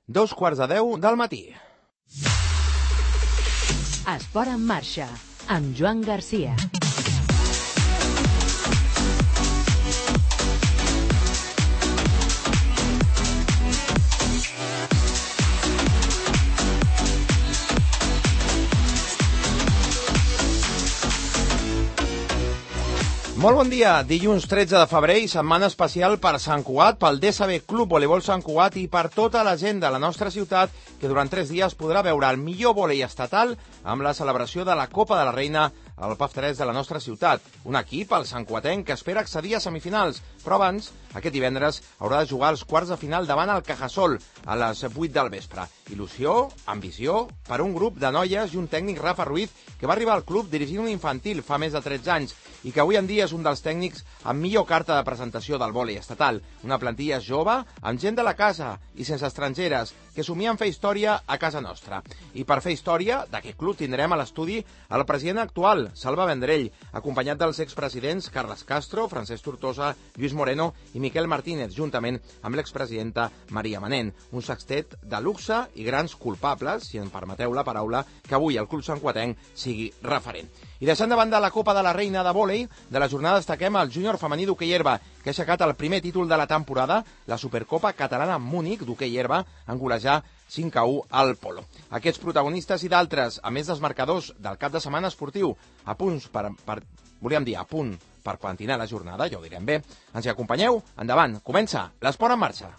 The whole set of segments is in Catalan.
2:45 del matí. Esport en marxa, amb Joan Garcia. Molt bon dia, dilluns 13 de febrer i setmana especial per Sant Cugat, pel DSB Club Voleibol Sant Cugat i per tota la gent de la nostra ciutat que durant 3 dies podrà veure el millor vòlei estatal amb la celebració de la Copa de la Reina al PAF 3 de la nostra ciutat. Un equip, el santcuatenc, que espera accedir a semifinals, però abans, aquest divendres, haurà de jugar els quarts de final davant el Cajasol a les 8 del vespre. Il·lusió, ambició, per un grup de noies i un tècnic, Rafa Ruiz, que va arribar al club dirigint un infantil fa més de 13 anys i que avui en dia és un dels tècnics amb millor carta de presentació del vòlei estatal. Una plantilla jove, amb gent de la casa i sense estrangeres, que somien fer història a casa nostra. I per fer història d'aquest club tindrem a l'estudi el president actual, Salva Vendrell, acompanyat dels expresidents Carles Castro, Francesc Tortosa, Lluís Moreno i Miquel Martínez, juntament amb l'expresidenta Maria Manent. Un sextet de luxe i grans culpables, si em permeteu la paraula, que avui el club santcuatenc sigui referent. I deixant de banda la Copa de la Reina de vòlei, de la jornada destaquem el júnior femení d'hoquei herba, que ha aixecat el primer títol de la temporada, la Supercopa Catalana Múnich d'hoquei herba, en golejar 5-1 al Polo. Aquests protagonistes i d'altres, a més dels marcadors del cap de setmana esportiu, a punt per plantinar la jornada, ja ho direm bé. Ens hi acompanyeu? Endavant, comença l'Esport en marxa.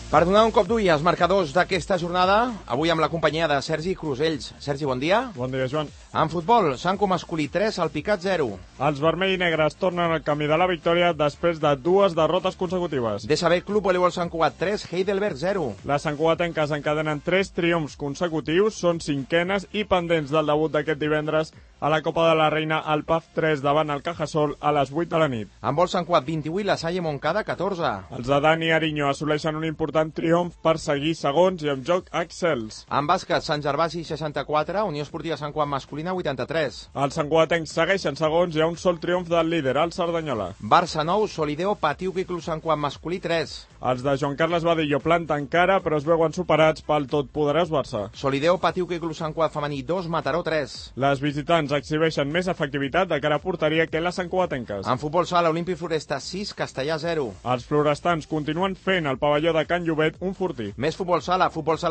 Per donar un cop d'ull als marcadors d'aquesta jornada, avui amb la companyia de Sergi Crusells. Sergi, bon dia. Bon dia, Joan. En futbol, Sanco masculí 3, el Picat 0. Els vermell i negres tornen al camí de la victòria després de 2 derrotes consecutives. DSB Club Voleibol Sant Cugat 3, Heidelberg 0. Les santcugatenques encadenen 3 triomfs consecutius, són cinquenes i pendents del debut d'aquest divendres a la Copa de la Reina al PAF 3 davant el Cajasol a les 8 de la nit. En vol Sant Cugat 28, la Salle Montcada 14. Els de Dani Ariño assoleixen un important triomf per seguir segons i amb joc excels. En bàsquet, Sant Gervasi 64, Unió Esportiva Sant Cugat masculina 83. Els santcugatencs segueixen segons i hi ha un sol triomf del líder, el Cerdanyola. Barça 9, Solideo Patiuc i Club Sant Cugat masculí 3. Els de Joan Carles Badillo planten cara, però es veuen superats pel totpoderós Barça. Solideo Patiuc i Club Sant Cugat femení 2, Mataró 3. Les visitants exhibeixen més efectivitat de cara a porteria que les santcugatenques. En futbol sala, Olímpic Floresta 6, Castellà 0. Els florestans continuen fent el pavelló de Can Llobet un fortí. Més futbol sala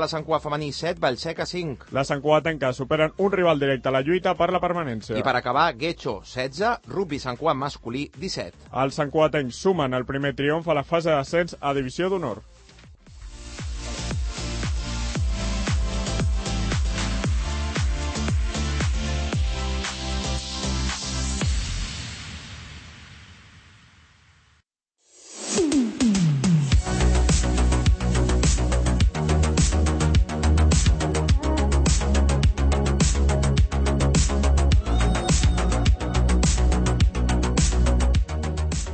Sant Cugat femení 7, Vallseca 5. Les santcugatenques superen un rival directe a la lluita per la permanència. I per acabar, Guecho 16, Rugby Sant Cugat masculí 17. Els santcugatencs sumen el primer triomf a la fase d'ascens a Divisió d'Honor.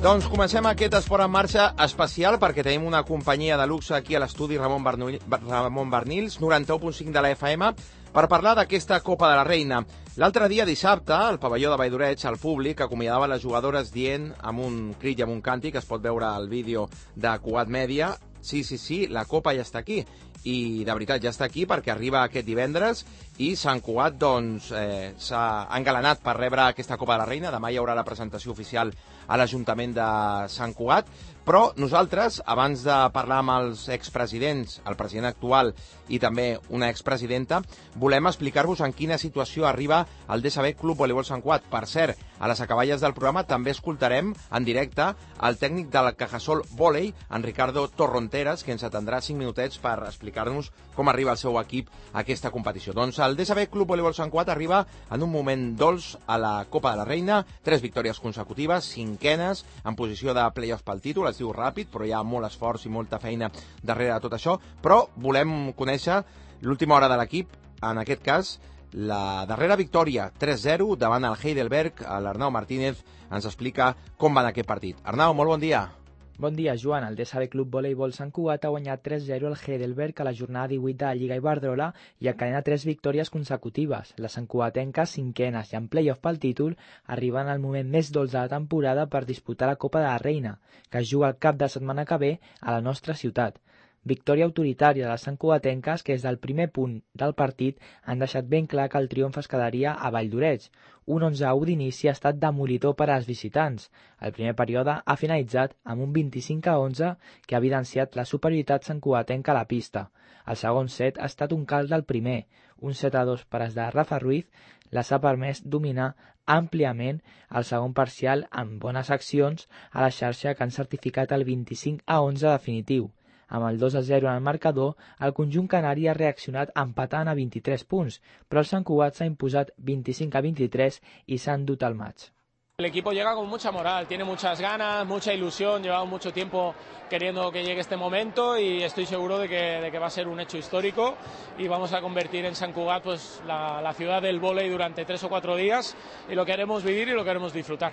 Doncs comencem aquest esport en marxa especial perquè tenim una companyia de luxe aquí a l'estudi Ramon Barnils, 91.5 de la FM, per parlar d'aquesta Copa de la Reina. L'altre dia, dissabte, al pavelló de Valldoreig, el públic acomiadava les jugadores dient amb un crit i amb un càntic, es pot veure al vídeo de Cugat Mèdia, sí, la Copa ja està aquí. I de veritat ja està aquí perquè arriba aquest divendres i Sant Cugat s'ha engalanat per rebre aquesta Copa de la Reina. Demà hi haurà la presentació oficial a l'Ajuntament de Sant Cugat, però nosaltres, abans de parlar amb els expresidents, el president actual i també una expresidenta, volem explicar-vos en quina situació arriba el DSB Club Voleibol Sant Cugat. Per cert, a les acaballes del programa també escoltarem en directe el tècnic del Cajasol Vòlei, en Ricardo Torronteras, que ens atendrà 5 minutets per explicar-nos com arriba el seu equip a aquesta competició. Doncs el DSB Club Voleibol Sant Cugat arriba en un moment dolç a la Copa de la Reina, 3 victòries consecutives, 5enes, en posició de play-offs pel títol. Es diu ràpid, però hi ha molt esforç i molta feina darrere de tot això. Però volem conèixer l'última hora de l'equip, en aquest cas la darrera victòria, 3-0 davant el Heidelberg. L'Arnau Martínez ens explica com va en aquest partit. Arnau, molt bon dia. Bon dia, Joan. El DSB Club Voleibol Sant Cugat ha guanyat 3-0 el Heidelberg a la jornada 18 de la Lliga Iberdrola i encadena 3 victòries consecutives. Les santcugatenques, cinquenes i en play-off pel títol, arriben al moment més dolç de la temporada per disputar la Copa de la Reina, que es juga el cap de setmana que ve a la nostra ciutat. Victòria autoritària de les santcugatenques que des del primer punt del partit han deixat ben clar que el triomf es quedaria a Valldoreix. Un 11-1 d'inici ha estat demolidor per als visitants. El primer període ha finalitzat amb un 25-11 que ha evidenciat la superioritat santcugatenca a la pista. El segon set ha estat un calç del primer. Un 7-2 per als de Rafa Ruiz les ha permès dominar àmpliament el segon parcial amb bones accions a la xarxa que han certificat el 25-11 definitiu. Amb el 2-0 en el marcador, el conjunt canari ha reaccionat empatant a 23 punts, però el Sant Cugat s'ha imposat 25-23 i s'ha endut el maig. El equipo llega con mucha moral, tiene muchas ganas, mucha ilusión, llevamos mucho tiempo queriendo que llegue este momento y estoy seguro de que va a ser un hecho histórico y vamos a convertir en Sant Cugat pues, la ciudad del vóley durante 3 o 4 días y lo queremos vivir y lo queremos disfrutar.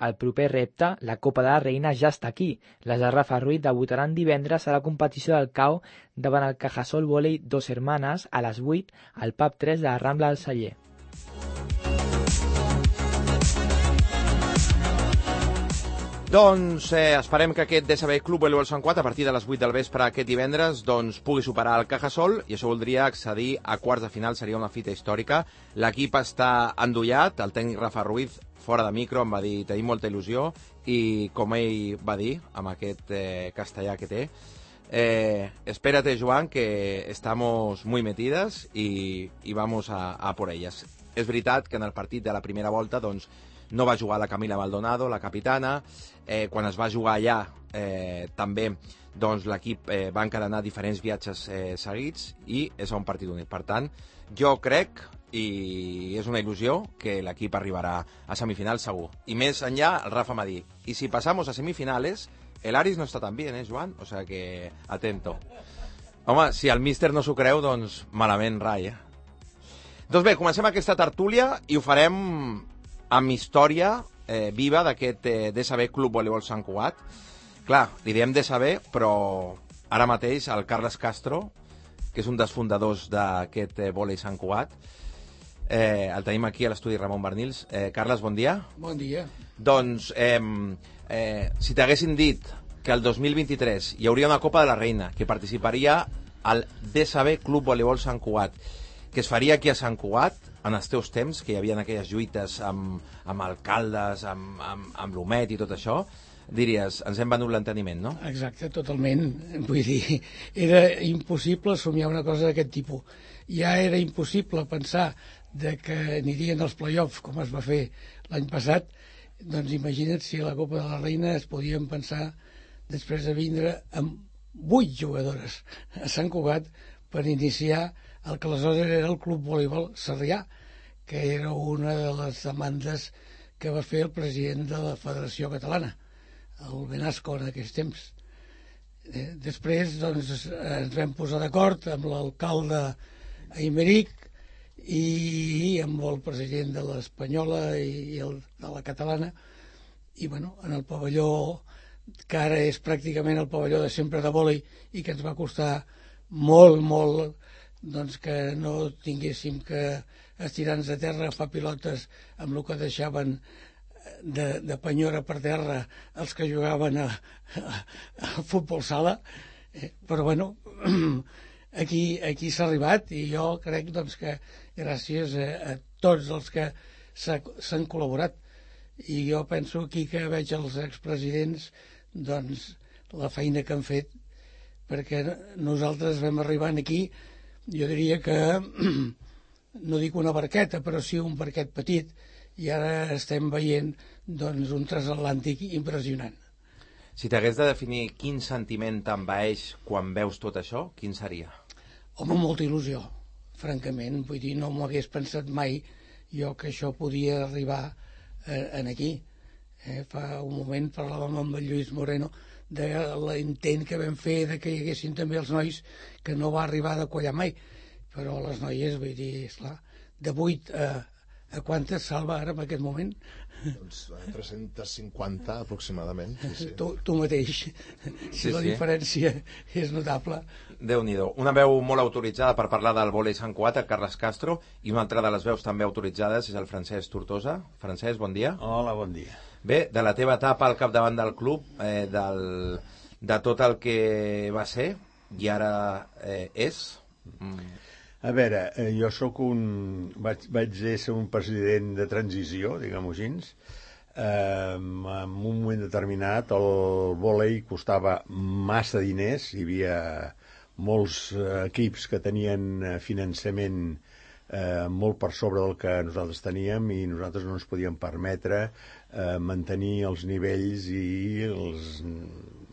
El proper repte, la Copa de la Reina, ja està aquí. Les de Rafa Ruiz debutaran divendres a la competició del CAO davant el Cajasol Volei Dos Hermanes a les 8 al pub 3 de la Rambla del Celler. Doncs esperem que aquest DSB Club Voleibol Sant Cugat a partir de les 8 del vespre aquest divendres doncs, pugui superar el Cajasol i això voldria accedir a quarts de final, seria una fita històrica. L'equip està endollat, el tècnic Rafa Ruiz fora de micro em va dir tenim molta il·lusió i com ell va dir amb aquest castellà que té espérate Joan que estamos muy metidas y vamos a por ellas. És veritat que en el partit de la primera volta doncs, no va jugar la Camila Maldonado, la capitana. Quan es va jugar allà també doncs, l'equip va encadenar diferents viatges seguits i és un partit únic. Per tant, jo crec, i és una il·lusió, que l'equip arribarà a semifinals segur. I més enllà, el Rafa m'ha dit, i si passamos a semifinales, el Aris no està tan bien, Joan? O sea que, atento. Home, si el míster no s'ho creu, doncs malament rai, Doncs bé, comencem aquesta tertúlia i ho farem amb història viva d'aquest DSB Club Voleibol Sant Cugat. Clar, li diem DSB, però ara mateix el Carles Castro, que és un dels fundadors d'aquest vòlei Sant Cugat, el tenim aquí a l'estudi Ramon Bernils. Carles, bon dia. Bon dia. Doncs, si t'haguessin dit que el 2023 hi hauria una Copa de la Reina que participaria al DSB Club Voleibol Sant Cugat, que es faria aquí a Sant Cugat, en els teus temps, que hi havia aquelles lluites amb alcaldes, amb l'Homet i tot això, diries, ens hem venut l'enteniment, no? Exacte, totalment. Vull dir, era impossible somiar una cosa d'aquest tipus. Ja era impossible pensar de que anirien als play-offs, com es va fer l'any passat, doncs imagina't si a la Copa de la Reina es podien pensar després de vindre amb 8 jugadores a Sant Cugat per iniciar el que aleshores era el Club Voleibol Sarrià, que era una de les demandes que va fer el president de la Federació Catalana, el Benasco en aquells temps. Després doncs, ens vam posar d'acord amb l'alcalde Aymeric i amb el president de l'Espanyola i el de la Catalana, i bueno, en el pavelló que ara és pràcticament el pavelló de sempre de vòlei i que ens va costar molt doncs que no tinguéssim que estirar-nos a terra, agafar pilotes amb el que deixaven de penyora per terra els que jugaven a futbol sala, però bueno, aquí s'ha arribat i jo crec doncs, que gràcies a tots els que s'han col·laborat, i jo penso aquí que veig els expresidents doncs la feina que han fet, perquè nosaltres vam arribar aquí, jo diria que no dic una barqueta, però sí un barquet petit, i ara estem veient doncs, un transatlàntic impressionant. Si t'hagués de definir quin sentiment t'envaeix quan veus tot això, quin seria? Home, molta il·lusió, francament. Vull dir, no m'ho hagués pensat mai jo que això podia arribar aquí. Fa un moment parlàvem amb el Lluís Moreno de l'intent que vam fer de que hi haguessin també els nois, que no va arribar a quallar mai, però les noies, vull dir, esclar, de 8 A quantes, Salva, ara, en aquest moment? Doncs 350 aproximadament. Sí. Tu mateix. Si la diferència és notable. Déu-n'hi-do. Una veu molt autoritzada per parlar del vòlei Sant Cugat, el Carles Castro, i una altra de les veus també autoritzades és el Francesc Tortosa. Francesc, bon dia. Hola, bon dia. Bé, de la teva etapa al capdavant del club, de tot el que va ser i ara és... A veure, jo vaig ser un president de transició, diguem-ho així. En un moment determinat el vòlei costava massa diners, hi havia molts equips que tenien finançament molt per sobre del que nosaltres teníem i nosaltres no ens podíem permetre mantenir els nivells i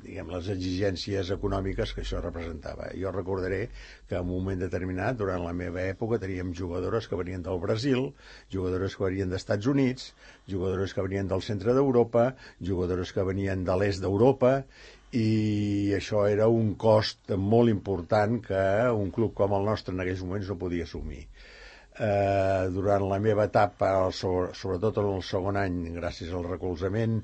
les exigències econòmiques que això representava. Jo recordaré que en un moment determinat, durant la meva època, teníem jugadores que venien del Brasil, jugadores que venien dels Estats Units, jugadores que venien del centre d'Europa, jugadores que venien de l'est d'Europa, i això era un cost molt important que un club com el nostre en aquells moments no podia assumir. Durant la meva etapa, sobretot en el segon any, gràcies al recolzament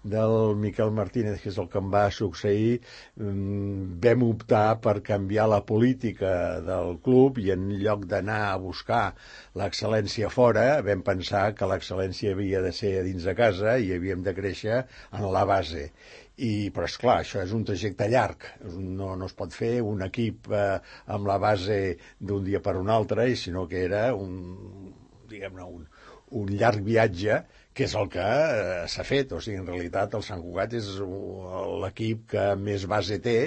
del Miquel Martínez, que és el que em va succeir, vam optar per canviar la política del club i en lloc d'anar a buscar l'excel·lència fora, vam pensar que l'excel·lència havia de ser dins de casa i havíem de créixer en la base. Però, esclar, això és un trajecte llarg. No es pot fer un equip amb la base d'un dia per un altre, sinó que era un llarg viatge, que és el que s'ha fet. O sigui, en realitat, el Sant Cugat és l'equip que més base té,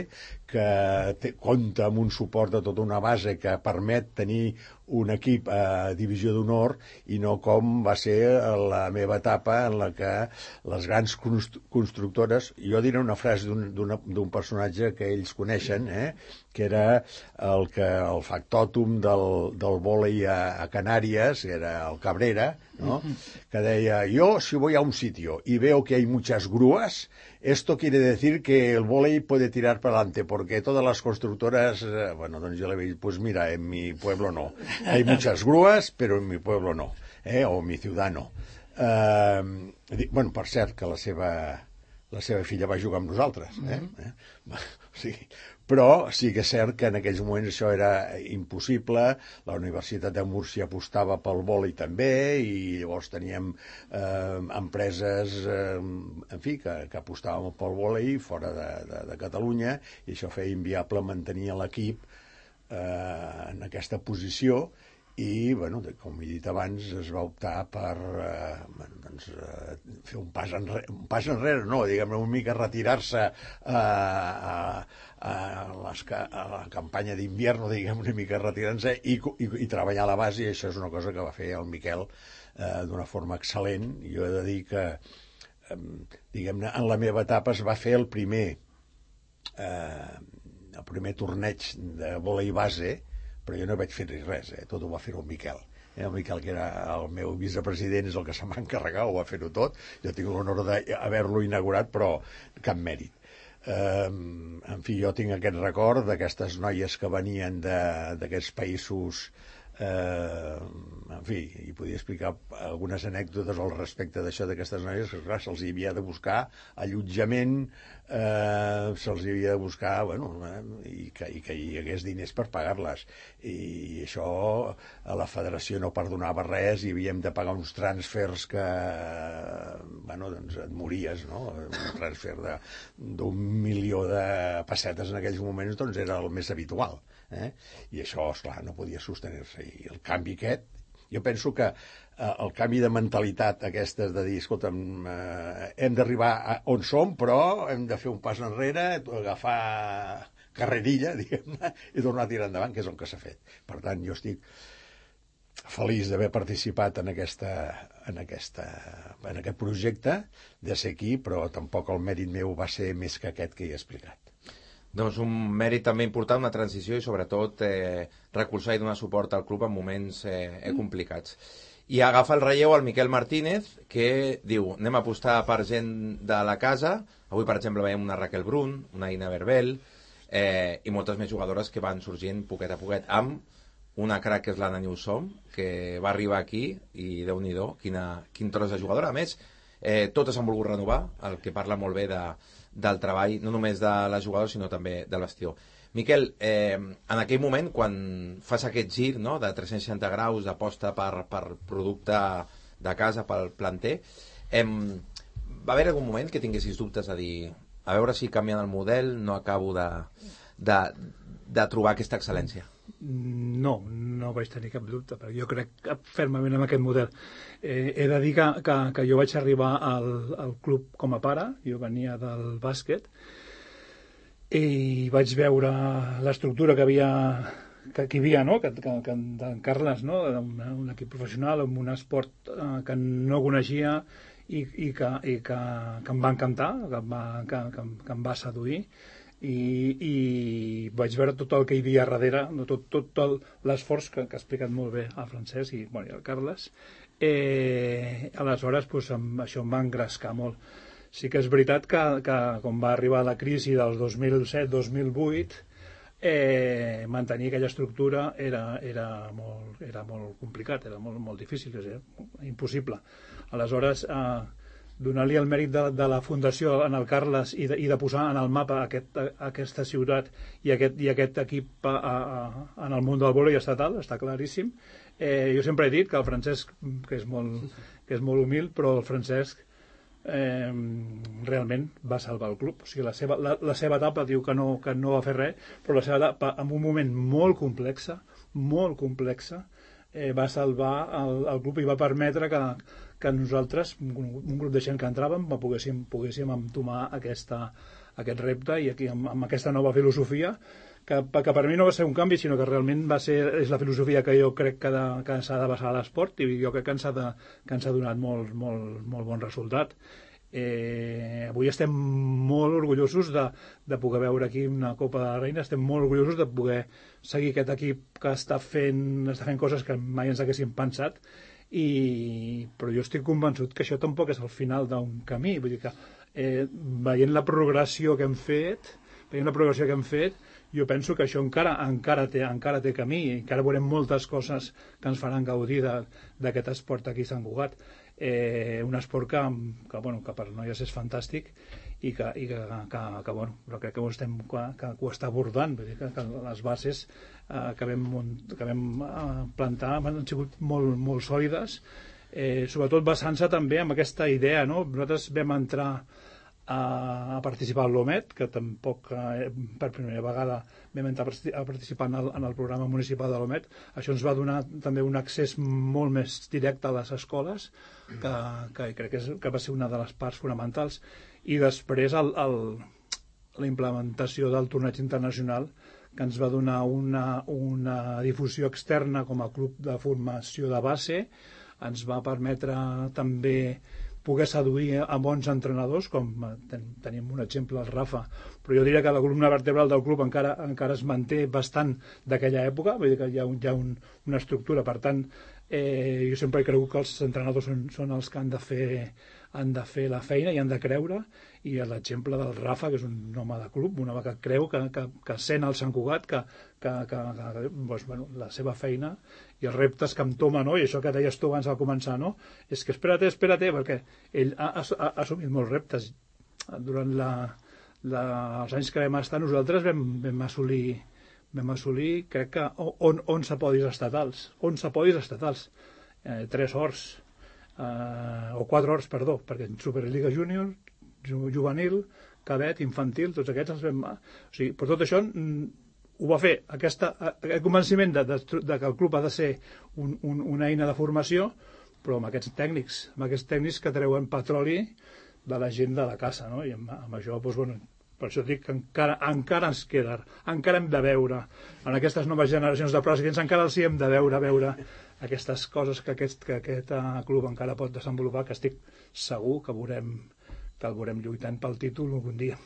que compta amb un suport de tota una base que permet tenir un equip a divisió d'honor i no com va ser la meva etapa en la que les grans constructores... Jo diré una frase d'un personatge que ells coneixen, que era el factòtum del vòlei a Canàries, que era el Cabrera, ¿no? Que deia, yo si voy a un sitio y veo que hay muchas grúas, esto quiere decir que el vóley puede tirar para adelante, porque todas las constructoras, bueno, doncs jo le dic, pues mira, en mi pueblo no. Hay muchas grúas, pero en mi pueblo no, o en mi ciudad no. Bueno, per cert, que la seva filla va jugar amb nosaltres, O sigui, però sí que és cert que en aquells moments això era impossible. La Universitat de Múrcia apostava pel vòlei també i llavors teníem empreses en fi, que apostaven pel vòlei fora de Catalunya i això feia inviable mantenir l'equip en aquesta posició i, bueno, com he dit abans, es va optar per fer un pas enrere, no, diguem-ne, una mica retirar-se a la campanya d'invierno, diguem, una mica retirant-se i treballar a la base, i això és una cosa que va fer el Miquel d'una forma excel·lent. Jo he de dir que, diguem-ne, en la meva etapa es va fer el primer torneig de vòlei base, però jo no vaig fer res, tot ho va fer el Miquel. El Miquel, que era el meu vicepresident, és el que se m'ha encarregat, ho va fer-ho tot. Jo tinc l'honor d'haver-lo inaugurat, però cap mèrit. En fi, jo tinc aquest record d'aquestes noies que venien d'aquests països, en fi, i podia explicar algunes anècdotes al respecte d'això, d'aquestes noies, que clar, se'ls havia de buscar allotjament, se'ls havia de buscar, bueno, i que hi hagués diners per pagar-les, i això a la federació no perdonava res, i havíem de pagar uns transfers que, bueno, doncs et mories, no? Un transfer d'1.000.000 de pessetes en aquells moments, doncs era el més habitual, i això, esclar, no podia sostenir-se. I el canvi aquest, jo penso que el canvi de mentalitat aquestes de dir, escolta'm, hem d'arribar on som, però hem de fer un pas enrere, agafar carrerilla, diguem-ne, i tornar a tirar endavant, que és el que s'ha fet. Per tant, jo estic feliç d'haver participat en aquest projecte, de ser aquí, però tampoc el mèrit meu va ser més que aquest que he explicat. Doncs un mèrit també important, una transició i sobretot recolzar i donar suport al club en moments complicats. I agafa el relleu el Miquel Martínez, que diu, anem a apostar per gent de la casa. Avui, per exemple, veiem una Raquel Brun, una Ina Berbel, i moltes més jugadores que van sorgint poquet a poquet, amb una crack que és l'Anna Newsom, que va arribar aquí i Déu-n'hi-do, quin tros de jugadora. A més, totes han volgut renovar, el que parla molt bé del treball, no només de la jugadora, sinó també del vestidor. Miquel, en aquell moment, quan fas aquest gir, no?, de 360 graus d'aposta per producte de casa, pel planter, va haver algun moment que tinguessis dubtes a dir, a veure si canviant el model no acabo de trobar aquesta excel·lència? No vaig tenir cap dubte, perquè jo crec fermament en aquest model. He de dir que jo vaig arribar al club com a pare, jo venia del bàsquet, i vaig veure l'estructura que hi havia, no?, que en Carles, no?, un equip professional, amb un esport que no coneixia i que em va encantar, que em va seduir, i vaig veure tot el que hi havia darrere, tot l'esforç que ha explicat molt bé el Francesc i el Carles. Aleshores, això em va engrescar molt. Sí que és veritat que quan va arribar la crisi del 2007-2008, mantenir aquella estructura era molt complicat, era molt difícil, impossible. Aleshores, donar-li el mèrit de la fundació en el Carles i de posar en el mapa aquesta ciutat i aquest equip en el món del vòlei estatal, està claríssim. Jo sempre he dit que el Francesc, que és molt humil, però el Francesc realment va salvar el club. O sigui, la seva etapa diu que no va fer res, però la seva etapa, en un moment molt complexa, va salvar el club i va permetre que nosaltres, un grup de gent que entràvem, poguéssim entomar aquest repte i aquí amb aquesta nova filosofia que per mi no va ser un canvi, sinó que realment és la filosofia que jo crec que s'ha de basar a l'esport, i jo crec que ens ha donat molt bon resultat. Avui estem molt orgullosos de poder veure aquí una Copa de la Reina, estem molt orgullosos de poder seguir aquest equip que està fent coses que mai ens haguéssim pensat, però jo estic convençut que això tampoc és el final d'un camí. Vull dir que veient la progressió que hem fet, jo penso que això encara té camí, encara veurem moltes coses que ens faran gaudir d'aquest esport aquí a Sant Cugat. Un esport que per noies és fantàstic i que crec que ho està abordant. Vull dir que les bases que vam plantar han sigut molt sòlides, sobretot basant-se també en aquesta idea, no? Nosaltres vam entrar a participar a l'OMET, que tampoc per primera vegada vam entrar a participar en el programa municipal de l'OMET. Això ens va donar també un accés molt més directe a les escoles, que crec que va ser una de les parts fonamentals. I després la implementació del torneig internacional, que ens va donar una difusió externa com a club de formació de base, ens va permetre també poder seduir a bons entrenadors, com tenim un exemple, el Rafa, però jo diria que la columna vertebral del club encara es manté bastant d'aquella època, vull dir que hi ha una estructura. Per tant, jo sempre he cregut que els entrenadors són els que han de fer la feina i han de creure, i l'exemple del Rafa, que és un home de club, un home que creu, que sent el Sant Cugat, la seva feina i els reptes que entoma, no? I això que deies tu abans al començar, no? És que espera't, perquè ell ha assumit molts reptes. Durant els anys que vam estar, nosaltres vam assolir, crec que 11 podis estatals, 3 ors, o 4 ors, perdó, perquè en Superliga Júnior, juvenil, cadet, infantil, tots aquests els vam... O sigui, per tot això ho va fer, aquest convenciment de que el club ha de ser una eina de formació, però amb aquests tècnics que treuen petroli de la gent de la casa, no? I amb això, per això dic que encara ens queda, encara hem de veure, en aquestes noves generacions de presidents, encara els hi hem de veure aquestes coses que aquest club encara pot desenvolupar, que estic segur que el veurem lluitant pel títol algun dia.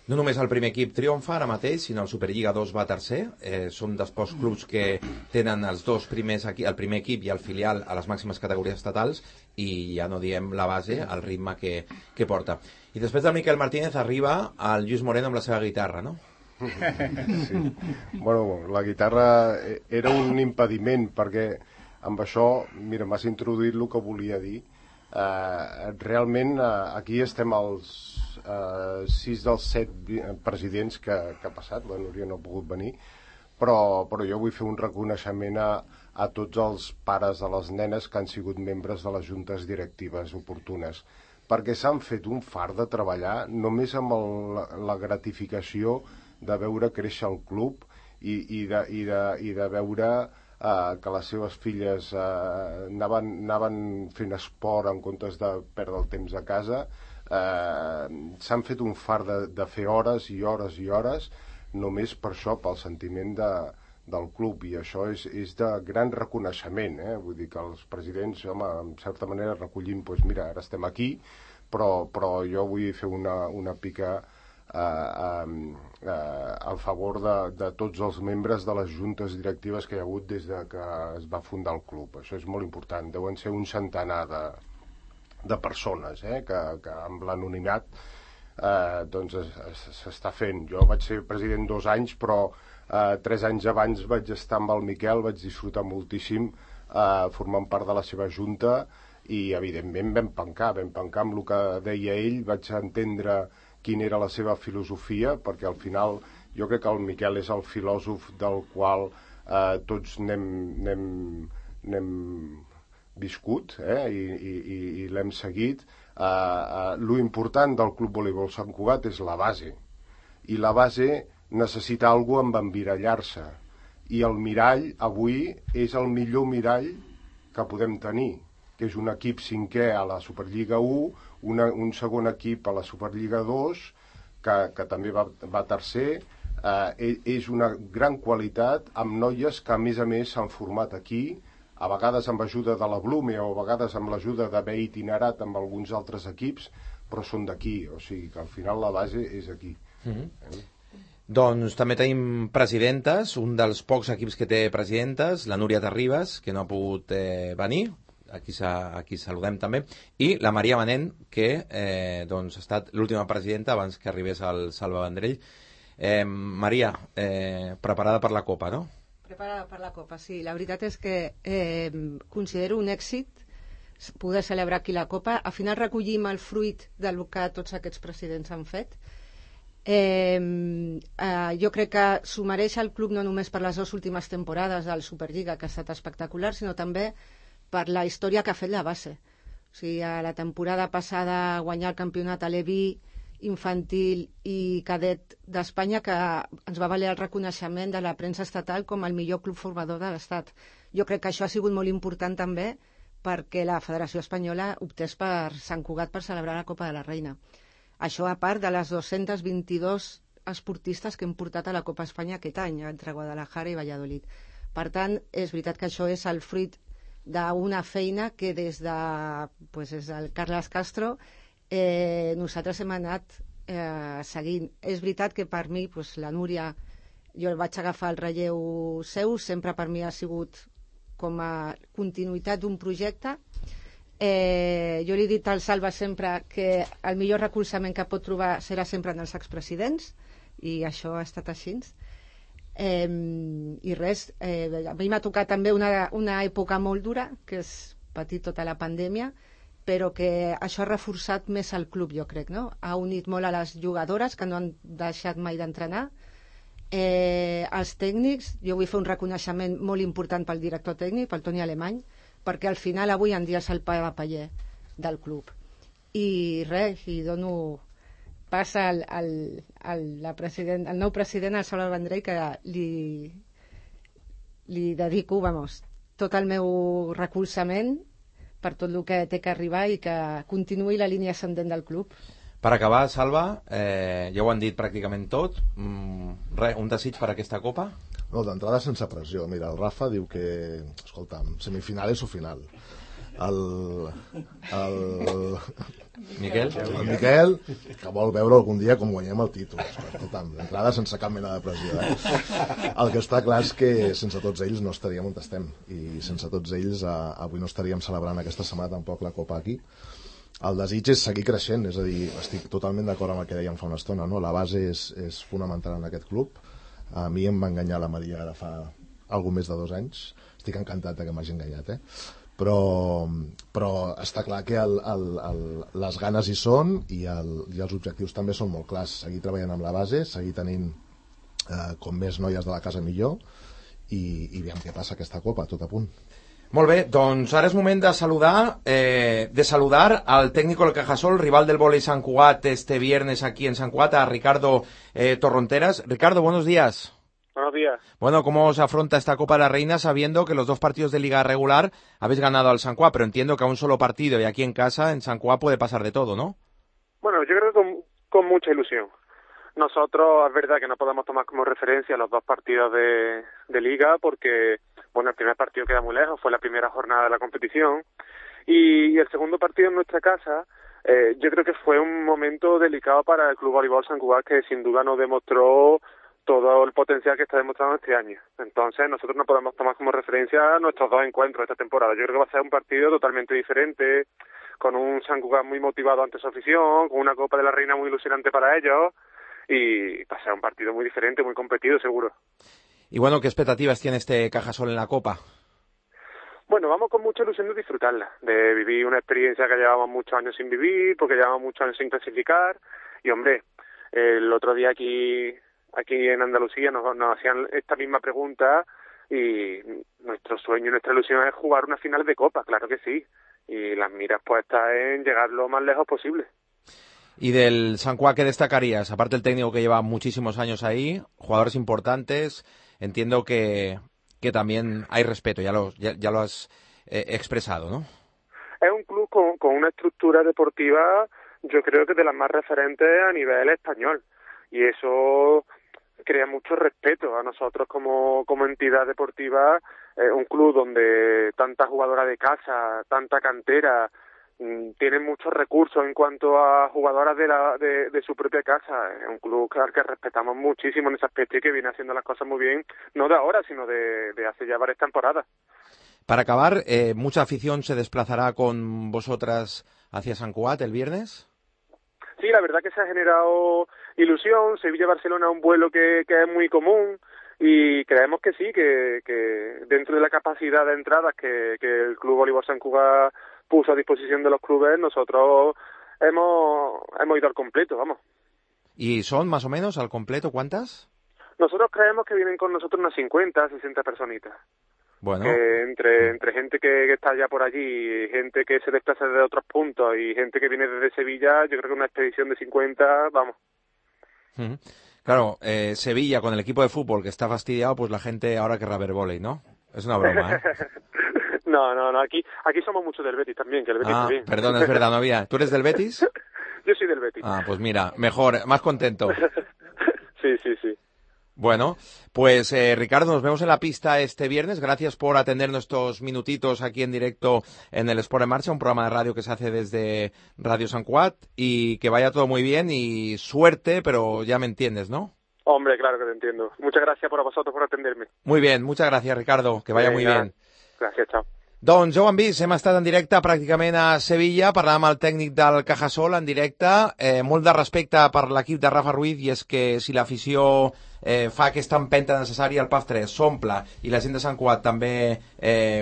No només el primer equip triomfa ara mateix, sinó el Superliga 2 va tercer. Són dels pocs clubs que tenen els dos primers, el primer equip i el filial a les màximes categories estatals, i ja no diem la base, el ritme que porta. I després del Miquel Martínez arriba el Lluís Moreno amb la seva guitarra, no? Sí. Bueno, la guitarra era un impediment perquè amb això, mira, m'has introduït el que volia dir. Realment aquí estem els 6 dels 7 presidents que ha passat, la Núria no ha pogut venir, però jo vull fer un reconeixement a tots els pares de les nenes que han sigut membres de les juntes directives oportunes, perquè s'han fet un fart de treballar només amb la gratificació de veure créixer el club i de veure que les seves filles anaven fent esport en comptes de perdre el temps a casa. S'han fet un fart de fer hores i hores i hores només per això, pel sentiment del club, i això és de gran reconeixement, vull dir que els presidents, home, en certa manera recollim, doncs mira, ara estem aquí, però jo vull fer una pica a favor de tots els membres de les juntes directives que hi ha hagut des que es va fundar el club. Això és molt important, deuen ser un centenar de persones que amb l'anonimat doncs s'està fent. Jo vaig ser president 2 anys, però 3 anys abans vaig estar amb el Miquel, vaig disfrutar moltíssim formant part de la seva junta i evidentment vam pencar amb el que deia ell, vaig entendre quina era la seva filosofia, perquè al final jo crec que el Miquel és el filòsof del qual tots n'hem viscut i l'hem seguit. Lo important del Club Voleibol Sant Cugat és la base, i la base necessita algú amb emmirallar-se, i el mirall avui és el millor mirall que podem tenir, que és un equip 5è a la Superliga 1, un segon equip a la Superliga 2, que també va tercer. És una gran qualitat, amb noies que a més s'han format aquí, a vegades amb ajuda de la Blume o a vegades amb l'ajuda d'haver itinerat amb alguns altres equips, però són d'aquí, o sigui que al final la base és aquí. Doncs també tenim presidentes, un dels pocs equips que té presidentes, la Núria Terribas, que no ha pogut venir, aquí saludem també, i la Maria Manent, que doncs ha estat l'última presidenta abans que arribés el Salva Vendrell. Maria, preparada per la Copa, no? Preparada per la Copa, sí. La veritat és que considero un èxit poder celebrar aquí la Copa. Al final recollim el fruit del que tots aquests presidents han fet. Jo crec que s'ho mereix el club no només per les 2 últimes temporades del Superliga, que ha estat espectacular, sinó també per la història que ha fet la base. O sigui, a la temporada passada guanyar el campionat a Leví, infantil i cadet d'Espanya, que ens va valer el reconeixement de la premsa estatal com el millor club formador de l'Estat. Jo crec que això ha sigut molt important també perquè la Federació Espanyola optés per Sant Cugat per celebrar la Copa de la Reina. Això a part de les 222 esportistes que hem portat a la Copa Espanya aquest any, entre Guadalajara i Valladolid. Per tant, és veritat que això és el fruit d'una feina que des del Carles Castro nosaltres hem anat seguint. És veritat que per mi la Núria, jo vaig agafar el relleu seu, sempre per mi ha sigut com a continuïtat d'un projecte. Jo li he dit al Salva sempre que el millor recolzament que pot trobar serà sempre en els expresidents, i això ha estat així. I res, a mi m'ha tocat també una època molt dura, que és patir tota la pandèmia, però que això ha reforçat més el club, jo crec, no? Ha unit molt a les jugadores, que no han deixat mai d'entrenar, els tècnics. Jo vull fer un reconeixement molt important pel director tècnic, pel Toni Alemany, perquè al final avui en dia és el pa de paller del club. I res, i dono pas al nou president, al Salva Vendrell, que li dedico, tot el meu recolzament per tot el que té que arribar i que continuï la línia ascendent del club. Per acabar, Salva, ja ho han dit pràcticament tot. Un desig per aquesta Copa? No, d'entrada sense pressió. Mira, el Rafa diu que, escolta'm, semifinales o final. El Miquel, que vol veure algun dia com guanyem el títol. Escolta'm, d'entrada sense cap mena de pressió. El que està clar és que sense tots ells no estaríem on estem, i sense tots ells avui no estaríem celebrant aquesta setmana tampoc la Copa aquí. el desig és seguir creixent, és a dir, estic totalment d'acord amb el que dèiem fa una estona, no? La base és fonamental en aquest club. A mi em va enganyar la Maria ara fa algo més de 2 anys, estic encantat que m'hagi enganyat, però està clar que les ganes hi són i els objectius també són molt clars, seguir treballant amb la base, seguir tenint com més noies de la casa millor i veiem què passa aquesta copa, tot a punt. Molt bé, doncs ara és moment de saludar al técnico del Cajasol, rival del vóley Sant Cugat este viernes aquí en Sant Cugat, a Ricardo Torronteras. Ricardo, buenos días. Buenos días. Bueno, ¿cómo se afronta esta Copa de la Reina sabiendo que los 2 partidos de Liga regular habéis ganado al Sant Cugat, pero entiendo que a un solo partido y aquí en casa, en Sant Cugat, puede pasar de todo, ¿no? Bueno, yo creo que con mucha ilusión. Nosotros es verdad que no podemos tomar como referencia los 2 partidos de Liga porque, bueno, el primer partido queda muy lejos, fue la primera jornada de la competición y el segundo partido en nuestra casa yo creo que fue un momento delicado para el Club Voleibol Sant Cugat que sin duda nos demostró todo el potencial que está demostrando este año. Entonces nosotros no podemos tomar como referencia nuestros 2 encuentros de esta temporada. Yo creo que va a ser un partido totalmente diferente, con un Sant Cugat muy motivado ante su afición, con una Copa de la Reina muy ilusionante para ellos y va a ser un partido muy diferente, muy competido seguro. Y bueno, ¿qué expectativas tiene este Cajasol en la Copa? Bueno, vamos con mucha ilusión de disfrutarla, de vivir una experiencia que llevamos muchos años sin vivir, porque llevamos muchos años sin clasificar y hombre, el otro día aquí en Andalucía nos hacían esta misma pregunta y nuestro sueño y nuestra ilusión es jugar una final de Copa, claro que sí, y las miras puestas en llegar lo más lejos posible. ¿Y del Sant Cugat qué destacarías? Aparte el técnico que lleva muchísimos años ahí, jugadores importantes, entiendo que también hay respeto, ya lo has expresado, ¿no? Es un club con una estructura deportiva, yo creo que de las más referentes a nivel español, y eso crea mucho respeto a nosotros como entidad deportiva, un club donde tanta jugadora de casa, tanta cantera, tiene muchos recursos en cuanto a jugadoras de su propia casa. Es un club al que respetamos muchísimo en ese aspecto y que viene haciendo las cosas muy bien, no de ahora, sino de hace ya varias temporadas. Para acabar, ¿mucha afición se desplazará con vosotras hacia Sant Cugat el viernes? Sí, la verdad que se ha generado ilusión. Sevilla-Barcelona es un vuelo que es muy común y creemos que sí, que dentro de la capacidad de entradas que el Club Voleibol Sant Cugat puso a disposición de los clubes, nosotros hemos ido al completo, vamos. ¿Y son más o menos al completo cuántas? Nosotros creemos que vienen con nosotros unas 50, 60 personitas. Bueno. Entre gente que está ya por allí, gente que se desplaza desde otros puntos y gente que viene desde Sevilla, yo creo que una expedición de 50, vamos. Claro, Sevilla con el equipo de fútbol que está fastidiado, pues la gente ahora querrá ver vóley, ¿no? Es una broma, ¿eh? No, aquí somos muchos del Betis también, que el Betis también. Perdón, es verdad, no había. ¿Tú eres del Betis? Yo soy del Betis. Ah, pues mira, mejor, más contento. Sí. Bueno, pues Ricardo, nos vemos en la pista este viernes. Gracias por atendernos estos minutitos aquí en directo en el Sport en Marcha, un programa de radio que se hace desde Radio Sant Cugat, y que vaya todo muy bien y suerte, pero ya me entiendes, ¿no? Hombre, claro que te entiendo. Muchas gracias a vosotros por atenderme. Muy bien, muchas gracias, Ricardo, que vaya muy bien. Gràcies, chao. Doncs ja ho hem vist, hem estat en directe pràcticament a Sevilla, parlàvem amb el tècnic del Cajasol en directe, molt de respecte per l'equip de Rafa Ruiz, i és que si l'afició fa aquesta empenta necessària, el PAF 3 s'omple i la gent de Sant Cugat també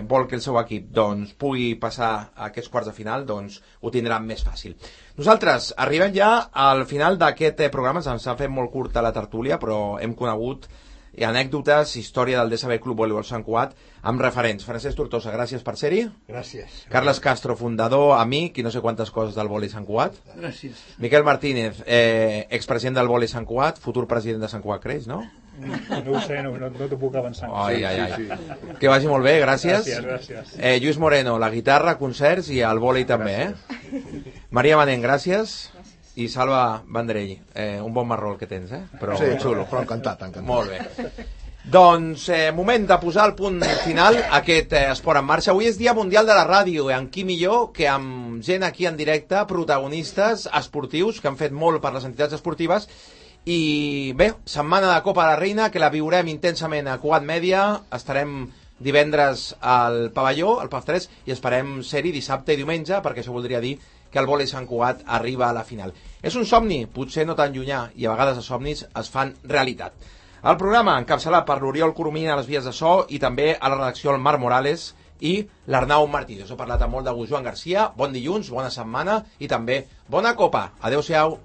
vol que el seu equip doncs, pugui passar a aquests quarts de final, doncs ho tindran més fàcil. Nosaltres arribem ja al final d'aquest programa, ens ha fet molt curta la tertúlia, però hem conegut anècdotes, història del DSB Club Voleibol Sant Cugat amb referents. Francesc Tortosa, gràcies per ser-hi. Gràcies. Carles Castro, fundador, amic i no sé quantes coses del vòlei Sant Cugat. Gràcies. Miquel Martínez, expresident del vòlei Sant Cugat, futur president de Sant Cugat Creix, no? No ho sé, no t'ho puc avançar. Ai. Que vagi molt bé, gràcies. Gràcies. Lluís Moreno, la guitarra, concerts i el vòlei també, Maria Manent, gràcies. I Salva Vendrell, un bon marró el que tens, però sí, xulo. Però encantat. Molt bé. Doncs moment de posar el punt final a aquest Esport en Marxa. Avui és Dia Mundial de la Ràdio, i amb qui millor que amb gent aquí en directe, protagonistes esportius que han fet molt per les entitats esportives. I bé, setmana de Copa de la Reina, que la viurem intensament a Cugat Mèdia. Estarem divendres al pavelló, al PAF 3, i esperem ser-hi dissabte i diumenge, perquè això voldria dir que el vòlei Sant Cugat arriba a la final. És un somni, potser no tan llunyà, i a vegades els somnis es fan realitat. El programa encapçalat per l'Oriol Coromina a les vies de so i també a la redacció el Marc Morales i l'Arnau Martí. Us he parlat amb molt de gust, Joan Garcia. Bon dilluns, bona setmana i també bona copa. Adéu-siau.